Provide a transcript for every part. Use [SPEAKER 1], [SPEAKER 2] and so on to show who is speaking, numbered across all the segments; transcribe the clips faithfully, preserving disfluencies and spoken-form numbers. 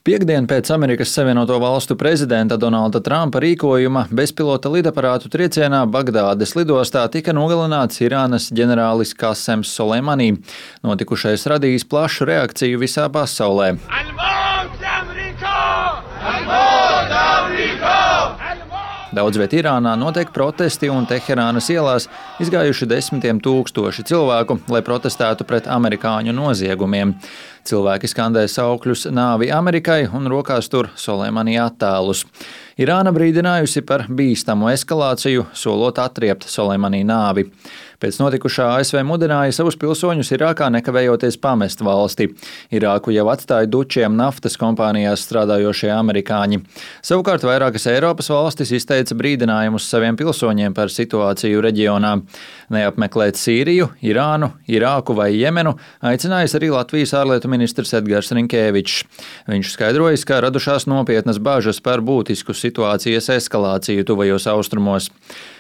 [SPEAKER 1] Piektdien pēc Amerikas Savienoto Valstu prezidenta Donalda Trumpa rīkojuma bezpilota lidaparātu triecienā Bagdādes lidostā tika nogalināts Irānas ģenerālis Kasems Soleimani. Notikušais radījis plašu reakciju visā pasaulē. Daudz viet Irānā notiek protesti un Teherānas ielās izgājuši desmitiem tūkstoši cilvēku, lai protestētu pret amerikāņu noziegumiem. Cilvēki skandē saukļus nāvi Amerikai un rokās tur Soleimani attēlus. Irāna brīdinājusi par bīstamu eskalāciju, solot atriept Soleimani nāvi. Pēc notikušā A S V mudināja savus pilsoņus Irākā nekavējoties pamest valsti. Irāku jau atstāja dučiem naftas kompānijās strādājošie amerikāņi. Savukārt vairākas Eiropas valstis izteica brīdinājumus saviem pilsoņiem par situāciju reģionā. Neapmeklēt Sīriju, Irānu, Irāku vai Jemenu aicinājis arī Latvijas ārlietu ministrs Edgars Rinkēvičs. Viņš skaidrojis, ka radušās nopietnas bažas par būtisku situācijas eskalāciju tuvajos austrumos.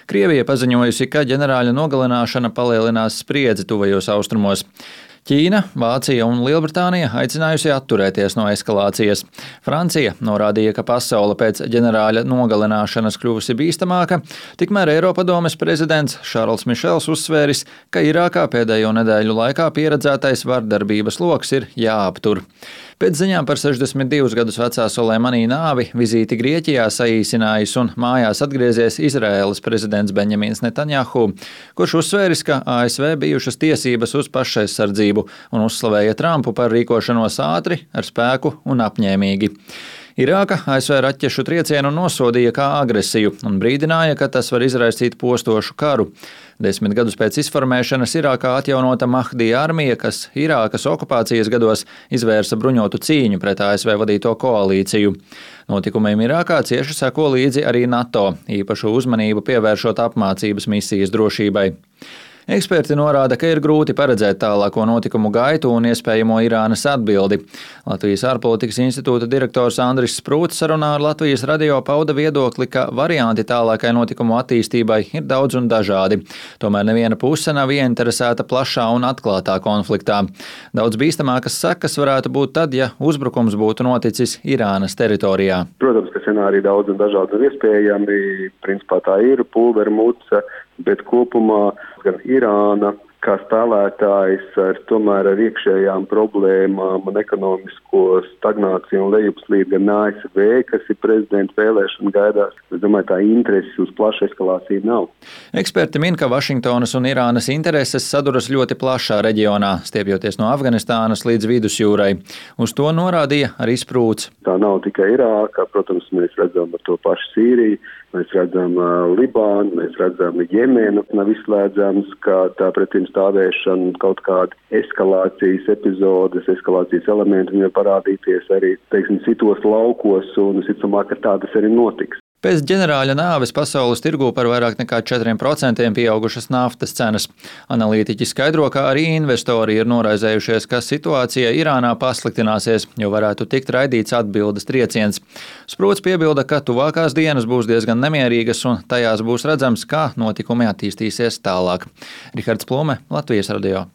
[SPEAKER 1] Krievija paziņojusi, ka ģenerāļa nogalināšana palielinās spriedzi tuvajos austrumos. Ķīna, Vācija un Lielbritānija aicinājusi atturēties no eskalācijas. Francija norādīja, ka pasaule pēc ģenerāļa nogalināšanas kļuvusi bīstamāka, tikmēr Eiropadomes prezidents Šarls Mišels uzsvēris, ka Irākā pēdējo nedēļu laikā pieredzētais vardarbības loks ir jāaptur. Pēc ziņām par sešdesmit divus gadus vecā Soleimani nāvi vizīti Grieķijā saīsinājis un mājās atgriezies Izraēlas prezidents Benjamins Netanjahu, kurš uzsvēris, ka A S V bijušas tiesības uz pašaizsardzību un uzslavēja Trumpu par rīkošanos ātri, ar spēku un apņēmīgi. Irāka A S V raķešu triecienu nosodīja kā agresiju un brīdināja, ka tas var izraisīt postošu karu. Desmit gadus pēc izformēšanas Irākā atjaunota Mahdija armija, kas Irākas okupācijas gados izvērsa bruņotu cīņu pret A S V vadīto koalīciju. Notikumiem Irākā cieši seko līdzi arī NATO, īpašu uzmanību pievēršot apmācības misijas drošībai. Eksperti norāda, ka ir grūti paredzēt tālāko notikumu gaitu un iespējamo Irānas atbildi. Latvijas ārpolitikas institūta direktors Andris Sprūts sarunā ar Latvijas radio pauda viedokli, ka varianti tālākai notikumu attīstībai ir daudz un dažādi. Tomēr neviena puse nav ieinteresēta plašā un atklātā konfliktā. Daudz bīstamākas sekas varētu būt tad, ja uzbrukums būtu noticis Irānas teritorijā.
[SPEAKER 2] Protams, ka scenāriji daudz un dažādi un iespējami. Principā tā ir pulvera muca, bet kopumā gan Irāna kā spēlētājs ar tomēr ar iekšējām problēmām un ekonomisko stagnāciju un lejupslīdi gan A S V, kas ir prezidenta vēlēšana gaidās. Es domāju, tā interesi uz plašu eskalāciju nav.
[SPEAKER 1] Eksperti min, ka Vašingtonas un Irānas intereses saduras ļoti plašā reģionā, stiepjoties no Afganistānas līdz Vidusjūrai. Uz to norādīja arī Sprūts.
[SPEAKER 2] Tā nav tikai Irāka, protams, mēs redzam ar to pašu Sīriju, mēs redzam uh, Libānu, mēs redzam Jemenu. Nav izslēdzams, ka tā pretim stāvēšana, kaut kāda eskalācijas epizodes, eskalācijas elementi viņai parādīties arī, teiksim, citos laukos, un visticamāk, ka tā tas arī notiks.
[SPEAKER 1] Pēc ģenerāļa nāves pasaules tirgū par vairāk nekā četriem procentiem pieaugušas naftas cenas. Analītiķi skaidro, ka arī investori ir noraizējušies, ka situācija Irānā pasliktināsies, jo varētu tikt raidīts atbildes trieciens. Sprūts piebilda, ka tuvākās dienas būs diezgan nemierīgas un tajās būs redzams, kā notikumi attīstīsies tālāk. Rihards Plume, Latvijas radio.